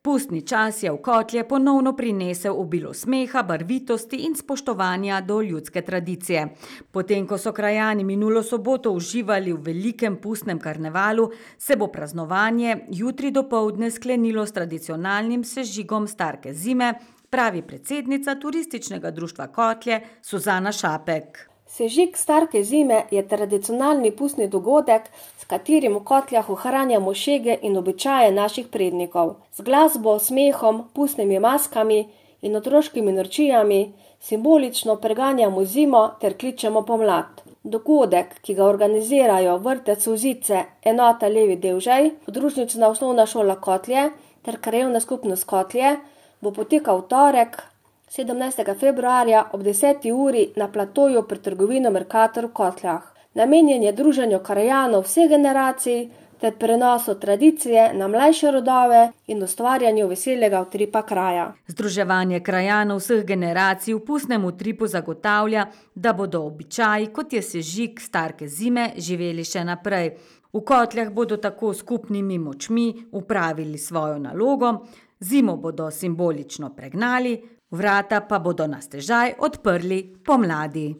Pustni čas je v Kotlje ponovno prinesel obilo smeha, barvitosti in spoštovanja do ljudske tradicije. Potem, ko so krajani minulo soboto uživali v velikem pustnem karnevalu, se bo praznovanje jutri dopoldne sklenilo s tradicionalnim sežigom Starke zime, pravi predsednica Turističnega društva Kotlje Suzana Šapek. Sežig Starke zime je tradicionalni pustni dogodek, s katerim v Kotljah ohranjamo šege in običaje naših prednikov. Z glasbo, smehom, pustnimi maskami in otroškimi norčijami simbolično preganjamo zimo ter kličemo pomlad. Dogodek, ki ga organizirajo Vrtec Solzice, enota Levi Devžej, podružnična osnovna šola Kotlje ter krajevna skupnost Kotlje, bo potekal v torek, 17. februarja ob 10. uri na platoju pred trgovino Mercator v Kotljah. Namenjen je druženju krajanov vseh generacij ter prenosu tradicije na mlajše rodove in ustvarjanju veselega utripa kraja. Združevanje krajanov vseh generacij v pustnem utripu zagotavlja, da bodo običaji, kot je sežig Starke zime, živeli še naprej. V Kotljah bodo tako skupnimi močmi upravili svojo nalogo, zimo bodo simbolično pregnali, vrata pa bodo na stežaj odprli pomladi.